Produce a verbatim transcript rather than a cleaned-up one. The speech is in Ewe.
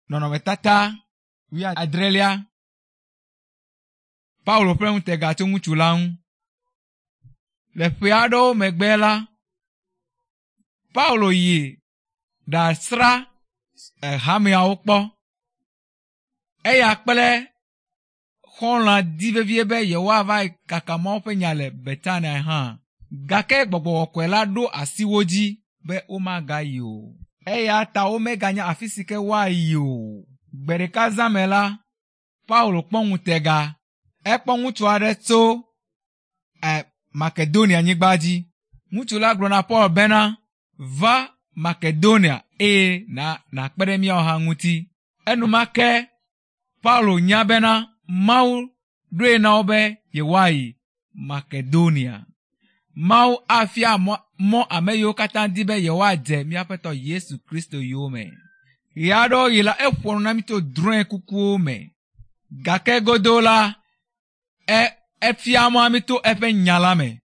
Nɔnɔmetata wuiadrelia. Paulo ƒe ŋutega tso ŋutsu la ŋu. Le ƒe aɖewo megbe la, Paulo yi ɖasra hameawo kpɔ. Eya kple xɔlɔ̃a di vevie be yewoava kaka Mawu ƒe nya le Betania hã. Gake gbɔgbɔ kɔkɔe la ɖo asi wo dzi be womagayi o. Eya ta womeganya afi si ke woayi o. Gbe ɖeka zã me la, Paulo kpɔ ŋutega. Ekpɔ ŋutsu aɖe tso e Makedonia nyigba dzi. Ŋutsu la gblɔ na Paul bena, va Makedonia eye na nàkpe ɖe míawo hã ŋuti. Enumake Paulo nya bena Mawu ɖoe na wo be yewoayi Makedonia. Mawu afia mɔ ame yiwo katã di be yewoadze míaƒetɔ Yesu Kristo yome. Ɣe aɖewo ɣi la, eƒoa nu na mí tso drɔ̃e kukuwo me. Gake godo la, e efia mɔ mí to eƒe nya la me.